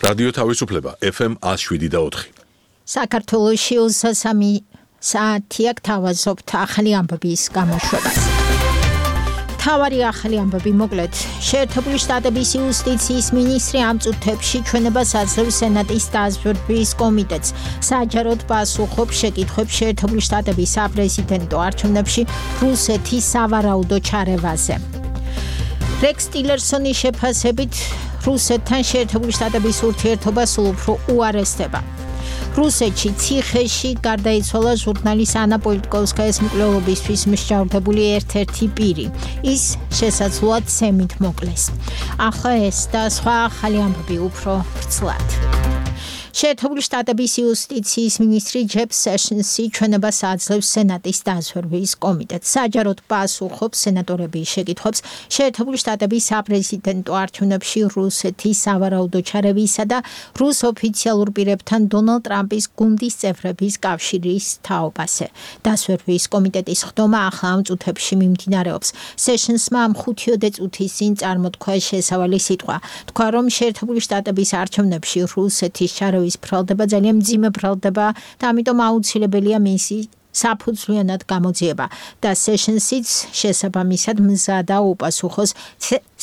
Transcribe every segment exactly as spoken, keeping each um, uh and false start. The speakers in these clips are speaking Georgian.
რადიო თავისუფლება F M one oh seven და four. საქართველოში ოცდასამი საათია გთავაზობთ ახალი ამბების გამოშვებას. თავარი ახალი ამბები მოკლედ. შეერთებული შტატების იუსტიციის მინისტრი ამ წუთებში ჩვენებას აძლევს სენატის დაზვერვის კომიტეტს. საჯაროდ პასუხობს შეკითხვებს შეერთებული შტატების საპრეზიდენტო არჩევნებში რუსეთის სავარაუდო ჩარევაზე. რექს ტილერსონის შეფასებით რუსეთთან შეერთებული შტატების ურთიერთობა სულ უფრო უარესდება. რუსეთში ციხეში გარდაიცვალა ჟურნალის ანა პოლიტკოვსკაის მკვლელობისთვის მსჯავრდებული ერთ-ერთი პირი. ის შესაძლოა ცემით მოკლეს. ახლა ეს და სხვა ახალი ამბები უფრო ვრცლად. შეერთებული შტატების იუსტიციის მინისტრი ჯეფ სეშნსი ჩვენებას აძლევს სენატის დაზვერვის კომიტეტს. საჯაროდ პასუხობს სენატორების შეკითხვებს შეერთებული შტატების საპრეზიდენტო არჩევნებში რუსეთის სავარაუდო ჩარევისა და რუს ოფიციალურ პირებთან დონალდ ტრამპის გუნდის წევრების კავშირის თაობაზე. დაზვერვის კომიტეტის ხდომა ახლა ამ წუთებში მიმდინარეობს. სეშნსმა ამ ხუთიოდე წუთის წინ წარმოთქვა შესავალი სიტყვა. თქვა, რომ შეერთებული შტატების არჩევნებში რუსეთის ჩარევის ბრალდება ძალიან მძიმე ბრალდება და ამიტომ აუცილებელია მისი საფუძვლიანად გამოძიება და სეშნსიც შესაბამისად მზადა უპასუხოს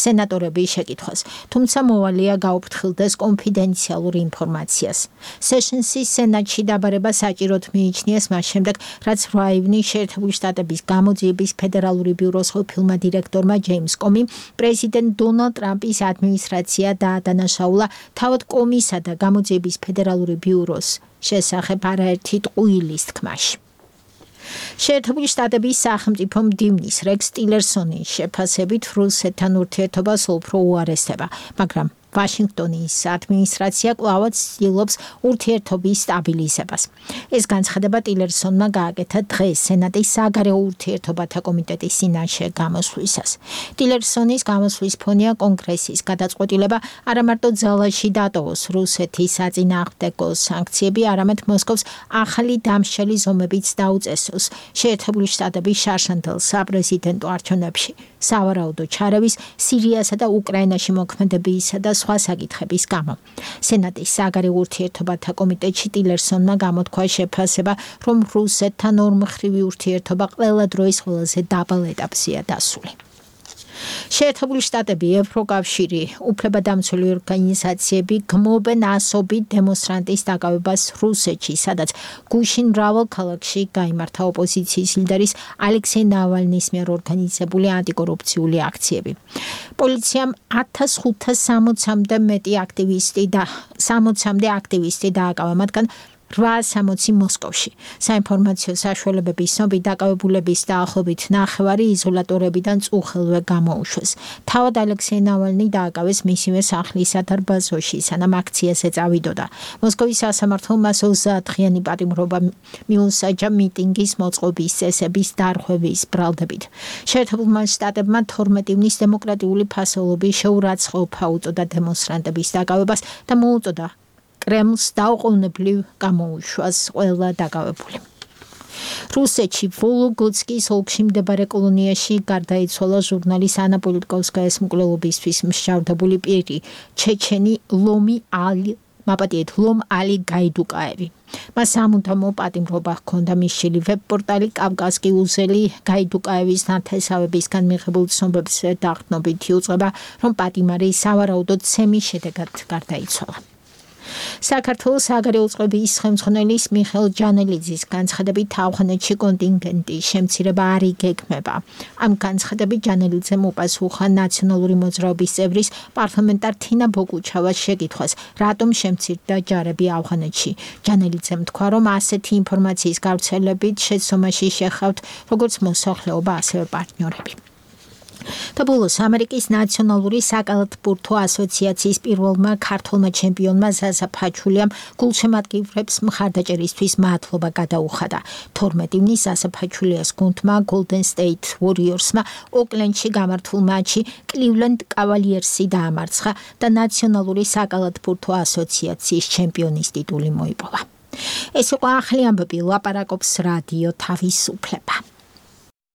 სენატორების შეკითხვას. თუმცა მოვალეა გაუფრთხილდეს კონფიდენციალურ ინფორმაციას. სეშნსის სენატში დაბარება საჭიროდ მიიჩნიეს მას შემდეგ, რაც რვა ივნის შეერთებული შტატების გამოძიების ფედერალური ბიუროს ყოფილმა დირექტორმა ჯეიმს კომიმ პრეზიდენტ დონალდ ტრამპის ადმინისტრაცია დაადანაშაულა თავად კომისა და გამოძიების ფედერალური ბიუროს შესახებ არაერთი ტყუილის თქმაში. შეერთებული შტატების სახელმწიფო მდივნის რექს ტილერსონის შეფასებით რუსეთთან ურთიერთობა სულ უფრო უარესდება, მაგრამ ვაშინგტონის ადმინისტრაცია კვლავაც ცდილობს ურთიერთობის სტაბილიზებას. ეს განცხადება ტილერსონმა გააკეთა დღეს სენატის საგარეო ურთიერთობათა კომიტეტის წინაშე გამოსვლისას. ტილერსონის გამოსვლის ფონია კონგრესის გადაწყვეტილება არა მარტო ძალაში დატოვოს რუსეთის საწინააღმდეგო სანქციები, არამედ მოსკოვს ახალი დამსჯელი ზომებიც დაუწესოს შეერთებული შტატების შარშანდელ საპრეზიდენტო არჩევნებში, სავარაუდო ჩარევის, სირიასა და უკრაინაში მოქმედებისა და სხვა საკითხების გამო. სენატის საგარეო ურთიერთობათა კომიტეტში ტილერსონმა გამოთქვა შეფასება, რომ რუსეთთან ორმხრივი ურთიერთობა ყველა დროის ყველაზე დაბალ ეტაპზეა დასული. შეერთებული შტატები, ევროკავშირი, უფლებადამცველი ორგანიზაციები გმობენ ასობით დემონსტრანტის დაკავებას რუსეთში, სადაც გუშინ მრავალ ქალაქში გაიმართა ოპოზიციის ლიდერის ალექსეი ნავალნის მიერ ორგანიზებული ანტიკორუფციული აქციები. პოლიციამ ათას ხუთას სამოცამდე მეტი აქტივისტი და სამოცამდე აქტივისტი დააკავა, მათგან რვაასამოცი მოსკოვში. საინფორმაციო საშუალებების ცნობით დაკავებულების დაახლოებით ნახევარი იზოლატორებიდან წუხელვე გამოუშვეს. თავად ალექსეი ნავალნი დააკავეს მისივე სახლის სადარბაზოში, სანამ აქციაზე წავიდოდა. მოსკოვის სასამართლომ მას ოცდაათღიანი პატიმრობა მიუსაჯა მიტინგის მოწყობის წესების დარღვევის ბრალდებით. შეერთებულმა შტატებმა თორმეტი ივნის დემოკრატიული ფასეულობის შეურაცხყოფა უწოდა დემონსტრანტების დაკავებას და მოუწოდა კრემლს დაუყოვნებლივ გამოუშვას ყველა დაკავებული. რუსეთში ვოლოგოდსკის ოლქში მდებარე კოლონიაში გარდაიცვალა ჟურნალის ანა პოლიტკოვსკაის მკვლელობისთვის მსჯავრდებული პირი, ჩეჩენი ლომი ალი მაპატიეთ ლომ ალი გაიდუკაევი. მას სამუდამო პატიმრობა ჰქონდა მისშილი ვებ-პორტალი კავკასკი უზელი გაიდუკაევის ნათესავებისგან მიღებულ ცნობებზე დაყრდნობით იუწყება, რომ პატიმარი სავარაუდოდ ცემის შედეგად გარდაიცვალა. საქართველოს საგარეო წყობის ხელმძღვანელის მიხეილ ჯანელიძის განცხადებით ავღანეთში კონტინგენტის შემცირება არ იგეგმება. ამ განცხადებით ჯანელიძემ უპასუხა ნაციონალური მოძრაობის წევრის პარლამენტარ თინა ბოგუჩავას შეკითხვას, რატომ შემცირდა ჯარები ავღანეთში. ჯანელიძემ თქვა, რომ ასეთი ინფორმაციის გავრცელებით შეცდომაში შეხავთ როგორც მოსახლეობა, ასევე პარტნიორები. და ბოლოს ამერიკის ნაციონალური საკალათბურთო ასოციაციის პირველმა ქართველმა ჩემპიონმა ზაზა ფაჩულიამ გულშემატკივრებს მხარდაჭერისთვის მადლობა გადაუხადა. თორმეტი ივნის ზაზა ფაჩულიას გუნდმა Golden State Warriorsმა ოკლენდში გამართულ მატჩში Cleveland Cavaliersი დაამარცხა და ნაციონალური საკალათბურთო ასოციაციის ჩემპიონის ტიტული მოიპოვა. ეს იყო ახალი ამბები, ლაპარაკობს რადიო თავისუფლება.